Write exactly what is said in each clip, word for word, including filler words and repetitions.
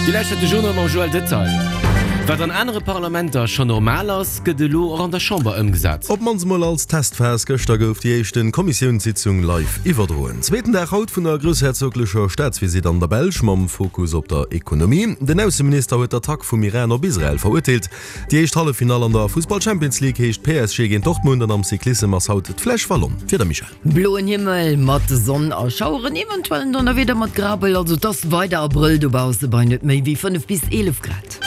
Dir lauschtert de Journal mam Joël Detail. Wat an anere Parlamenter schonn normal ass, gëtt elo och an der Chamber ëmgesat. Op d'mannst emol als Testphas, Gëschter gouf déi éischten Kommissiounssitzung live iwwerdroen. Zweeten Dag haut vun der groussherzoglecher Staatsvisitt an der Belsch mam Fokus op der Ekonomie. Den Ausseminister huet d'Attack vum Iran op Israel verurteelt. Déi éischt Halleffinall an der Fussball-Champions League heescht P S G géint Dortmund an am Cyclissem ass haut d'Flèche Wallonne fir de Michel. Bloen Himmel mat Sonn a Schaueren, eventuell en Donnerwieder mat Grabel, also et ass weider Abrëll dobausse bei net méi wéi fënnef bis eelef Grad.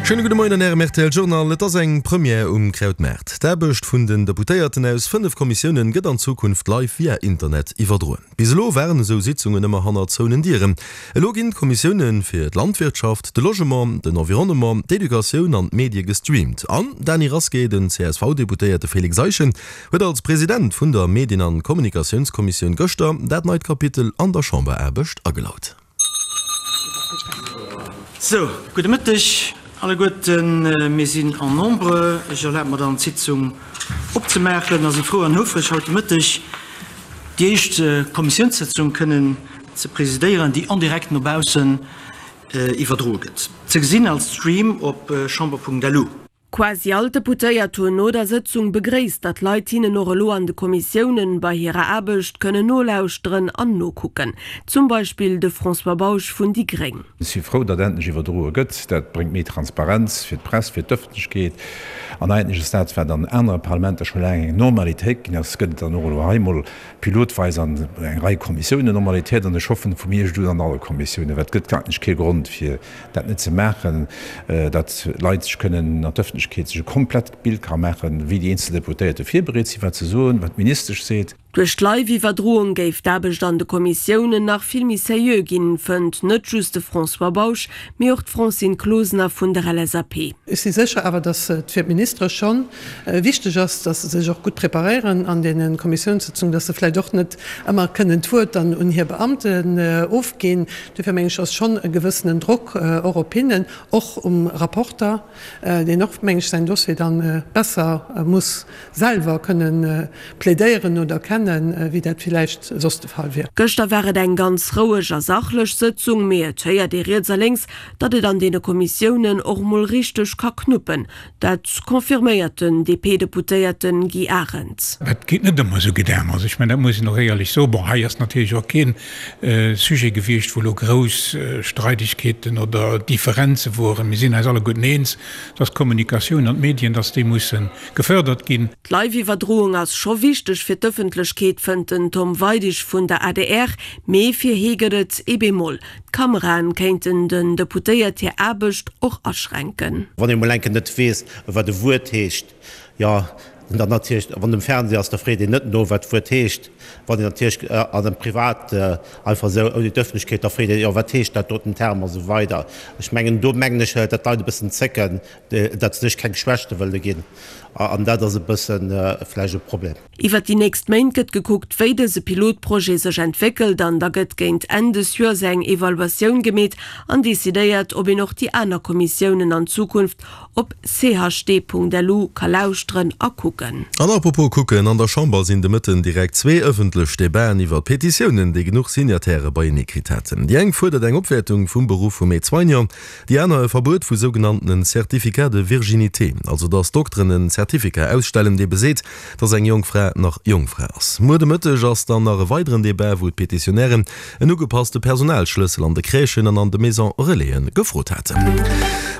Schéine gudde Moien an Ärem R T L Journal. Et ass eng Première um Krautmaart. D'Aarbecht vun den Deputéierten aus fënnef Kommissiounen gëtt an Zukunft live via Internet iwwerdroen. Bis elo waren esou Sitzungen ëmmer hannert zouenen Dieren. Elo ginn d'Kommissioune fir d'Landwirtschaft, de Logement, den Environnement, d'Educatioun an d'Medie gestreamt. An, Dany Rasqué, den C S V-Deputéierte Félix Eischen huet als President vun der Medien an Kommunikatiounskommissioun gëschter dat neit Kapitel an der Chamberaarbecht agelaut. Sou, gudde Mëtteg alleguerten. Mir sinn en nombre. Ech erlabe mer dann, d'Sitzung opzemaachen a si frou an houfreg, haut de Mëtteg déi éischt Kommissiounssëtzung kënnen ze presidéieren, déi en direct no baussen iwwerdroe gëtt. Ze gesinn als Stream op chamber punkt lu. Quasi all d'Deputéiert hunn no der Sëtzung begréisst, datt Leit hinnen och elo an de Kommissiounen bei hirer Aarbecht kënnen nolauschteren an nokucken. Zum Beispill de François Bausch vun déi Gréng. Ech si frou, datt endlech iwwerdroe gëtt. Dat bréngt méi Transparenz fir d'Press, fir d'Ëffentlechkeet. An eigentlech ass dat, wat an anere Parlamenter scho laang eng Normalitéit ginn ass, gëtt et dann och elo hei mol pilotweis an eng Rei Kommissiounen Normalitéit. An ech hoffen vu mir un an alle Kommissiounen, well et gëtt eigentlech kee Grond fir dat net ze maachen, datt Leit sech kënnen an d'Ëffentlechkeet sech e komplett Bild ka maachen, wéi déi eenzel Deputéierte virbereet sinn, wat se soen, wat d'Ministesch seet. Duerch d'Live-Iwwerdroung géif d'Aarbecht an de Kommissiounen nach vill méi seriö ginn, fënnt net just de François Bausch, mee och d'Francine Closener vun der L S A P. Ech si sécher awer, datt et fir d'Ministere schonn wichteg ass, datt se sech och gutt preparéieren an deene Kommissiounssitzungen, datt se vläicht och net ëmmer kënnen d'Wuert dann un hir Beamten ofginn. Dofir meng ech, ass schonn e gewëssenen Drock och op hinnen, och um Rapporter, deen och, meng ech, säin Dossier dann besser muss selwer kënnen plädéieren oder kennen, wéi dat villäicht soss de Fall wier. Gëschter war et eng ganz roueg a sachlech Sëtzung, mee et héiert ee riets a lénks, datt et an deene Kommissiounen och mol richteg ka knuppen. Dat confirméiert den D P-Deputéierten Guy Arendt. Dat geet net ëmmer esou gutt ëm. Also ech mein, dat muss een och éierlech soen. Bon, hei ass natierlech och keen Sujet gewiescht, wou lo grouss Streidigkeeten oder Differenze woren. Mir sinn eis alleguerten eens, dass d'Kommunikatioun an d'Medien, dass déi mussen gefördert ginn. D'Live-Iwwerdroung ass scho wichteg fir d'Ëffentlechkeet, fënnt den Tom Weidig vun der A D R, mee fir hie gëtt et ee Bémol. D'Kameraen kéinten den Deputéiert hir Aarbecht och aschränken. Wann ee mol enke net weess, wat e Wuert heescht, ja, dann natierlech, wann dem Fernseh ass, da freet een net no, wat d'Wuert heescht. Wann een natierlech an dem Privat einfach esou ouni d'Ëffentlechkeet, da freet een, ja, wat heescht dat doten Term a sou weider. Ech mengen, do mengen ech, datt d'Leit e bëssen zécken, datt se sech keng Schwächte wëlle ginn. An dat ass e bëssen vläicht e Problem. Iwwer déi nächst Méint gëtt gekuckt, wéi dëse Pilotprojet sech entwéckelt, an da gëtt géint Enn des Joers eng Evaluatioun gemeet an decidéiert, ob een och déi aner Kommissiounen an Zukunft op c h d punkt l u ka lauschteren a kucken. An apropos kucken, an der Chamber sinn de Mëtten direkt zwee ëffentlech Debaten iwwer Petitiounen, déi genuch Signataire beienee kritt haten. Déi eng fuerdert eng Opwäertung vum Beruff vum Aide-Soignant, déi aner e Verbuet vu sougenannten Certificat de virginité, also datt Dokteren en Certificat ausstellen, dee beseet, datt eng jonk Fra nach Jongfra ass. Muer de Mëtteg ass dann nach e weideren Debat, wou d'Petitionären en ugepasste Personalschlëssel an de Crèchen an an de Maison Relaisen gefrot haten.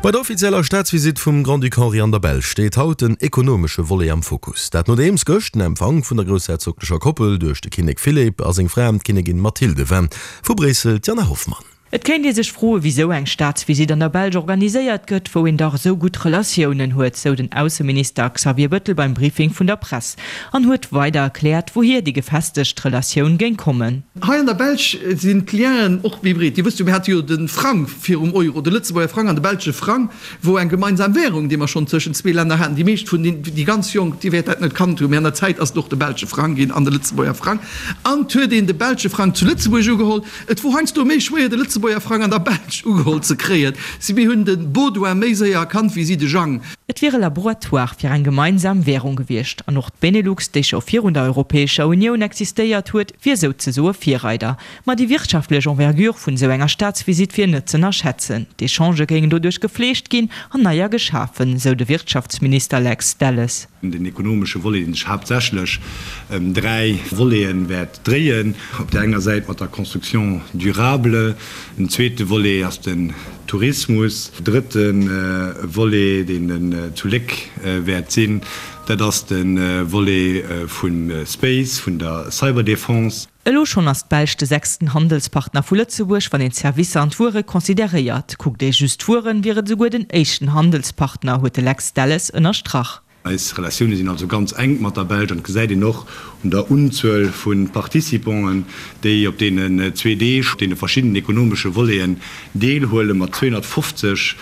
Bei der offizieller Staatsvisitt vum Grand-Duc Henri an der Belsch steet haut den ekonomesche Volet am Fokus. Dat nodeems gëscht den Empfang vun der groussherzoglecher Koppel duerch de Kinnek Philipp a seng Fra d'Kinnigin Mathilde war. Vu Bréissel d'Jana Hoffmann. Et kéint ee sech froe wieso eng Staatsvisitt an der Belsch organiséiert gëtt, wou een dach esou gutt Relatiounen huet, sou den Ausseminister Xavier Bettel beim Briefing vun der Press an huet weider erkläert, wouhier déi gefestegt Relatioun géing kommen. Hei an der Belsch sinn d'Lienen och méi breet. Dir wësst jo, mir hate jo de Frang virum Euro, de Lëtzebuerger Frang an de belsche Frang, wou eng gemeinsam Währung, déi mer schonn tëschent zwee Länner haten. Déi meescht vun den, déi ganz Jonk, déi wäert dat net kannt hunn, mee an der Zäit ass et och de belsche Frang ginn an de Lëtzebuerger Frang. An et huet een de belsche Frang zu Lëtzebuerg ugeholl. Et wor heiansdo méi schwéier, de Lëtzebuerger Frang an der Belsch ugeholl ze kréien. Si mir hunn de Baudouin méi séier erkannt wéi si de Jang. Et wier e Laboratoire fir eng gemeinsam Wärung gewiescht an och d'Benelux, déi scho virun der Europäescher Unioun existéiert huet, wier souzesoe Virreider. Ma déi wirtschaftlech Envergure vun esou enger Staatsvisitt wier net z'ënnerschätzen. D'Echangë géingen doduerch gefleegt ginn an neier geschafen, sou de Wirtschaftsminister Lex Delles. Den ekonomesche Volet, dee sech haaptsächlech ëm dräi Voleten wäert dréien, op där enger Säit mat der Construction durable, en zweete Volet ass den Tourismus, drëtte Volet, deen zu Léck wäert sinn, dat ass de Volet vum Space, vun der Cyberdefense. Elo schonn ass d'Belsch de sechsten Handelspartner vu Lëtzebuerg, wann een d'Servicer an d'Wuere consideréiert. Kuckt ee just d'Wueren, wier et esouguer den éischten Handelspartner, huet de Lex Delles ënnerstrach. Eis Relatioune sinn also ganz enk mat der Belsch an et gesäit een och un der Unzuel vu Participanten, déi op deenen zwee Deeg op deene verschiddenen ekonomesche Voleten deelhuelen, mat zweehonnertfofzeg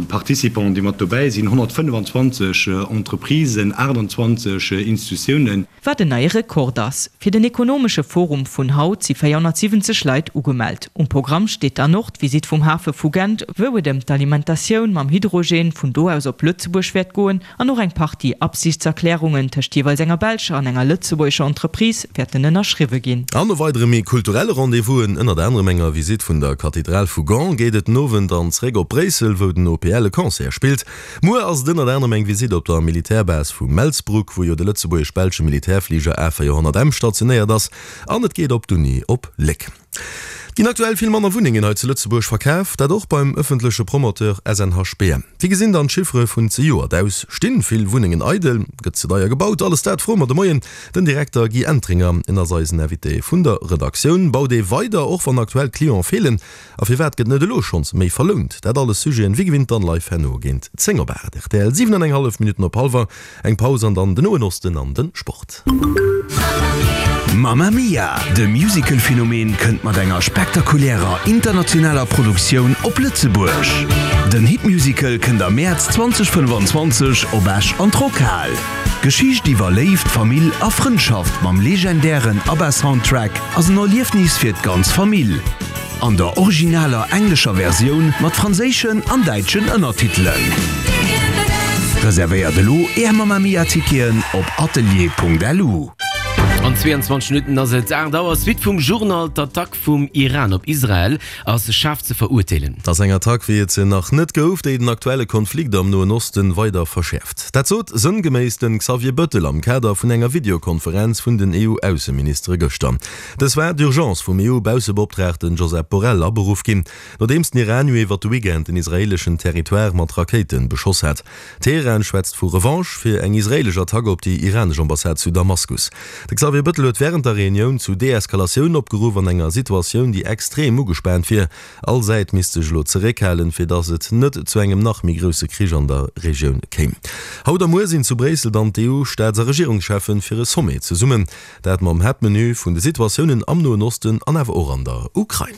Participanten, déi mat dobäi sinn, honnertfënnefenzwanzeg Entreprisen, aachtanzwanzeg Institutiounen. Wat en neie Rekord ass. Fir den ekonomesche Forum vun haut si véierhonnertsiwwenzeg Leit ugemellt. Um Programm steet dann och d'Visitt vum Hafe vu Gent, wou et ëm d'Alimentatioun mam Hydrogen vun do aus op Lëtzebuerg wäert goen an och eng Partie Absichtserklärungen tëscht jeeweils enger belscher an enger lëtzebuergescher Entreprise wäerten ënnerschriwwe ginn. An no weidere méi kulturelle Rendez-vousen, ënnert anerem enger Visitt vun der Kathedral vu Gand, geet et den Owend dann zeréck op Bréissel, wou den O P L e Concert spillt. Muer ass et ënnert anerem eng Visitt op der Militärbase vu Melsbroek, wou jo de lëtzebuergesch-belsche Militärfliger A véierhonnert M stationéiert ass, an et geet op d'Uni op Léck. Et ginn aktuell vill manner Wunnengen hei zu Lëtzebuerg verkaf, dat och beim ëffentleche Promoteur S N H B M. Wéi gesinn dann d'Chiffere vun zejoert aus? Stinn vill Wunnengen eidel? Gëtt ze deier gebaut? Alles dat froe mer de Moien den Direkter Guy Entringer. En ass eisen Invité vun der Redaktioun. Baut ee weider, och wann aktuell Cliente feelen? A firwat gëtt net elo schonns méi verlount? Dat alles Sujeten, wéi gewinnt dann live herno géint zéng op aacht. R T L, siwen an eng hallef Minutten op hallwer. Eng Paus an dann den Noen Osten an den Sport. Mamma Mia! De Musical-Phänomen kënnt mat enger spektakulärer internationaler Produktioun op Lëtzebuerg. Den Hitmusical kënnt am Mäerz zweedausendfënnefenzwanzeg op Esch an d'Rockhal. D'Geschicht iwwer Léift, Famill a Frëndschaft mam legendären ABBA-Soundtrack ass en Erliefnis fir d'ganz Famill. An der originaler englescher Versioun mat franséischen an däitschen Ënnertitelen. Reservéiert elo Är Mamma Mia Ticketen op atelier Punkt L U. An zweeanzwanzeg Minutten ass et aacht Auer. Suite vum Journal, D'Attack vum Iran op Israel ass schaarf ze verurteelen. Et ass eng Attack, wéi et se nach net gouf, déi den aktuelle Konflikt am Noen Osten weider verschäerft. Dat sot sënngeméiss den Xavier Bëttel am Kader vun enger Videokonferenz vun den E U-Ausseministere gëschter. Dës war d'urgence vum E U-Baussebeoptraagten Josep Borrell aberuff ginn, nodeems den Iran jo iwwer de Weekend den israeeleschen Territoire mat Rakéite beschoss hat. Teheran schwätzt vu Revanche fir eng israeelesch Attack op déi iranesch Ambassade zu Damaskus. De Xavier Bëttel huet wärend der Reunioun zu Deeskalatioun opgeruff an enger Situatioun, déi extrem ugespaant wier. All Säit misst sech elo zeréckhalen, fir datt et net zu engem nach méi grousse Krich an der Regioun kéim. Haut a muer sinn zu Bréissel dann d'E U-Staats a Regierungscheffen fir e Sommet zesummen, dat mam Haaptmenu vun de Situatiounen am Noen Osten an awer och an der Ukrain.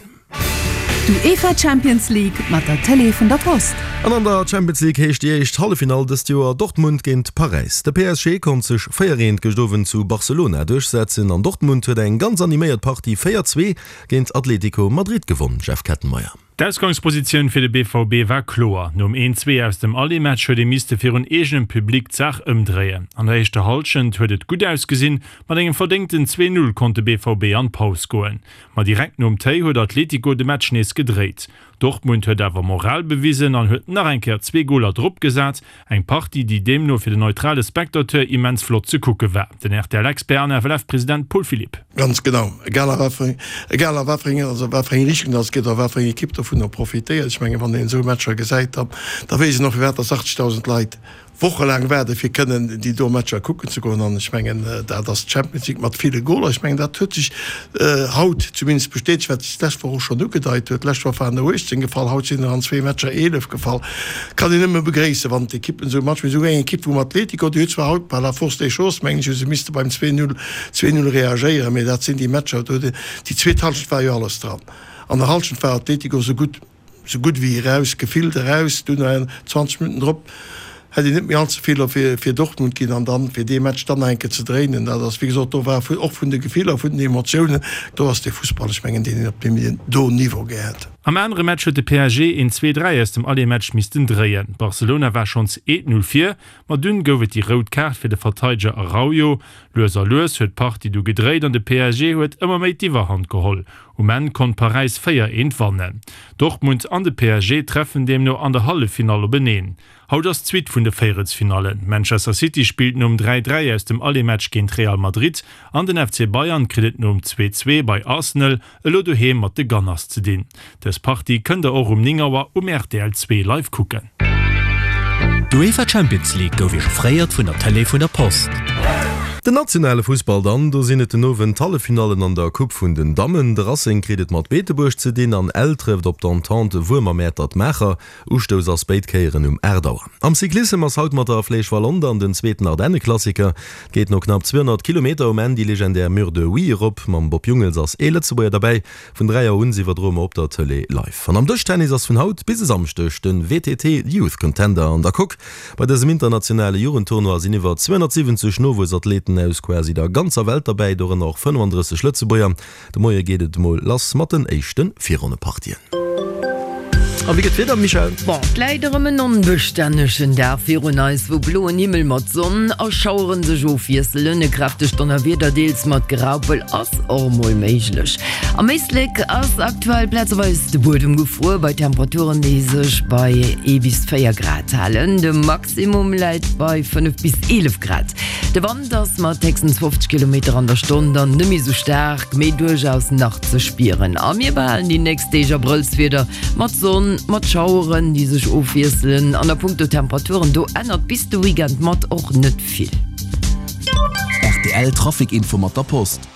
D'UEFA Champions League mat der Tëlee vun der Post. An an der Champions League heescht déi éischt Halleffinall dëst Joer Dortmund géint Paräis. De P S G konnt sech véier eent gëscht Owend zu Barcelona duerchsetzen an Dortmund huet eng ganz animéiert Partie véier zwee géint Atlético Madrid gewonn, Jeff Kettenmeyer. D'Ausgangspositioun fir de B V B war kloer. Nom een zwee aus dem Aller-Match huet ee misste virun eegenem Public d'Saach ëmdréien. An der éischter Hallschent huet et gutt ausgesinn, mat engem verdéngten zwee null konnt de B V B an d'Paus goen. Ma direkt nom Téi huet Atlético de Match nees gedréit. Dortmund huet awer Moral bewisen an huet nach eng Kéier zwee Goler dropgesat, eng Partie, déi deemno fir den neutrale Spectateur immens flott ze kucke war. Den R T L-Expert an F L F-President Paul Philipp. Ganz genau. Egal a wat fir eng, egal a wat fir eng, also wat fir eng Richtung dass et geet oder wat fir eng Ekipp dovunner profitéiert. Ech mengen, wann een esou Matcher gesäit, da, da weess een och, firwat dass achtzegdausend Leit wochelaang waarde fir kënnen déi do Matcher kucken ze goen. An ech mengen, dat ass d'Champions League mat ville Goler. Ech mengen, dat huet sech haut zumindest bestätegt, wat sech d'lescht Woch och schonn ugedeit huet. D'lescht Woch waren der uechtzéng gefall, haut sinn der an zwee Matcher eelef gefall. Kann een nëmme begréissen, wann d'Ekippen esou matspillen. Esou eng Ekipp vum Atletico, déi huet zwar haut par la force des choses, mengen ech, hu se misste beim zwee null, zwee null reagéieren, mee dat sinn déi Matcher, do huet déi zweet Hallschent war jo alles dran. An der Hallschent war Atletico esou gutt, esou gutt wéi eraus, gefillt eraus. Dunn zwanzeg Minutten drop hätt een net méi all ze vill fir fir Dortmund ginn an dann fir dee Match dann nach eng Kéier ze dréinen, dat ass wéi gesot, do war och vun de Gefiller, vun den Emotiounen, do ass dee Fussball, ech mengen, deen een op deem do Niveau gär hätt. Am anere Match huet de P S G een zwee-dräi aus dem Aller-Match missten dréien. Barcelona war schonns eent-null vir, ma dunn gouf et déi rout Kaart fir de Verteideger Araujo. Lues a lues huet d'Partie du gedréit an de P S G huet ëmmer méi d'Iwwerhand geholl. Um Enn konnt Paräis véier-eent wannen. Dortmund an de P S G treffen deemno an der Halleffinall openeen. Haut ass d'Suite vun de Véierelsfinallen. Manchester City spillt nom dräi-dräi aus dem Aller-Match géint Real Madrid an den F C Bayern kritt et nom zwee-zwee bei Arsenal elo doheem mat de Gunners ze dinn. Dës Partie kënnt der och um néng Auer um R T L zwee live kucken. D'UEFA Champions League gouf Iech offréiert vun der Tëlee vun der Post. Den nationale Fussball dann, do sinn et den Owend d'Halleffinallen an der Coupe vun den Dammen. De Racing kritt et mat Beetebuerg ze dinn an Ell trëfft op d'Entente Wuermer-Mäertert-Maacher. Ustouss ass béid Kéieren um aacht Auer. Am Cyclissem ass haut mat der Flèche Wallonne dann den zweeten Ardenneklassiker. Et geet no knapp zweehonnert Kilometer um Enn déi legendär Mur de Huy erop. Mam Bob Jungels ass ee Lëtzebuerger derbäi. Vun dräi Auer un iwwerdroe mer op der Tëlee live. An am Dëschtennis ass vun haut bis e Samschdeg de W T T Youth Contender an der Coque. Bei dësem internationale Jugendtournoi sinn iwwer zweehonnertsiwwenzeg Nowuessathleten aus quasi der ganzer Welt derbäi, dorënner och fënnefandrësseg Lëtzebuerger. De Moie geet et mol lass mat den éischte Virronnepartien. A wéi gëtt d'Wieder, Michèle? Bon, et läit erëm en onbestännegen Dag virun eis, wou bloen Himmel mat Sonn a Schaueren sech ofwiesselen. E kräftegt Donnerwieder, deels mat Graupel, ass och mol méiglech. Am Éislek ass aktuell plazeweis de Buedem gefruer, bei Temperaturen, déi sech bei ee bis véier Grad halen. De Maximum läit bei fënnef bis eelef Grad. De Wand ass mat héchstens fofzeg Kilometer an der Stonn dann net méi sou staark, mee duerchaus nach ze spieren. A mir behalen déi nächst Deeg Abrëllswieder mat Sonn, mat Schaueren, déi sech ofwiesselen. An a punkto Temperaturen, do ännert bis de Weekend mat och net vill. R T L Trafic Info mat der Post.